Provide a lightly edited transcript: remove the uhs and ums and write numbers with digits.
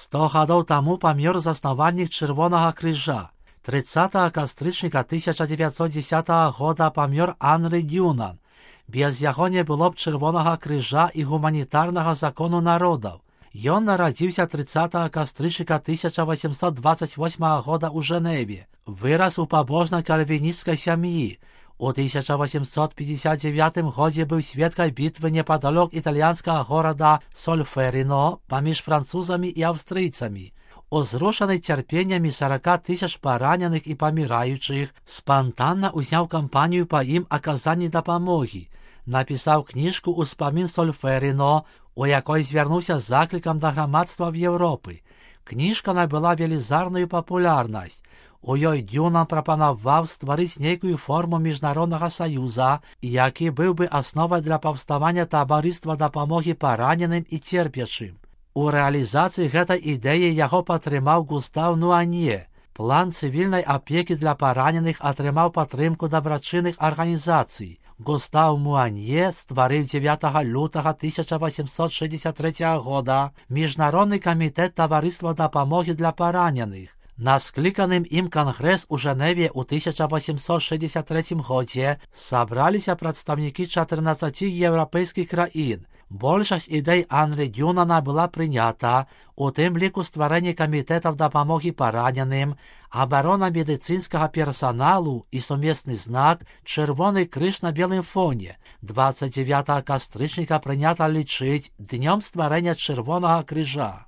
100 гадоў таму памёр заснавальнік Чырвонага крыжа. 30 кастрычніка 1910 года памёр Анры Дюнан. Без яго не было б Чырвонага крыжа і гуманітарнага закону народаў. Ён нарадзіўся 30 кастрычніка 1828 года ў Жэневе. Вырас у пабожнай кальвінісцкай сям'і. У 1859 годзе быў сведкай бітвы непадалёк італьянскага горада Сольферіно паміж французамі і аўстрыйцамі. Узрушаны цярпеннямі 40 000 параненых і паміраючых, спантанна ўзняў кампанію па ім аказанні дапамогі. Напісаў кніжку «Успамін Сольферіно», у якой звярнуўся з заклікам да грамадства в Еўропы. Кніжка набыла велізарную папулярнасць. У ёй Дюнан прапанаваў стварыць нейкую форму міжнароднага саюза, які быў бы асновай для паўставання таварыства дапамогі параненым і церпячым. У рэалізацыі гэтай ідэі яго падтрымаў Густаў Нуане. План цывільнай апекі для параненых атрымаў падтрымку дабрачынных арганізацый. Густаў Нуане стварыў 9 лютага 1863 года Міжнародны камітэт таварыства дапамогі для параненых. На скліканым ім кангрэс у Жэневе ў 1863 годзе сабраліся прадстаўнікі 14 еўрапейскіх краін. Большасць ідэй Анры Дюнана была прынята, у тым ліку стварэнне камітэтаў дапамогі параненым, абарона медыцынскага персаналу і сумесны знак «Чырвоны крыж на белым фоне». 29 кастрычніка прынята лічыць днём стварэння Чырвонага крыжа.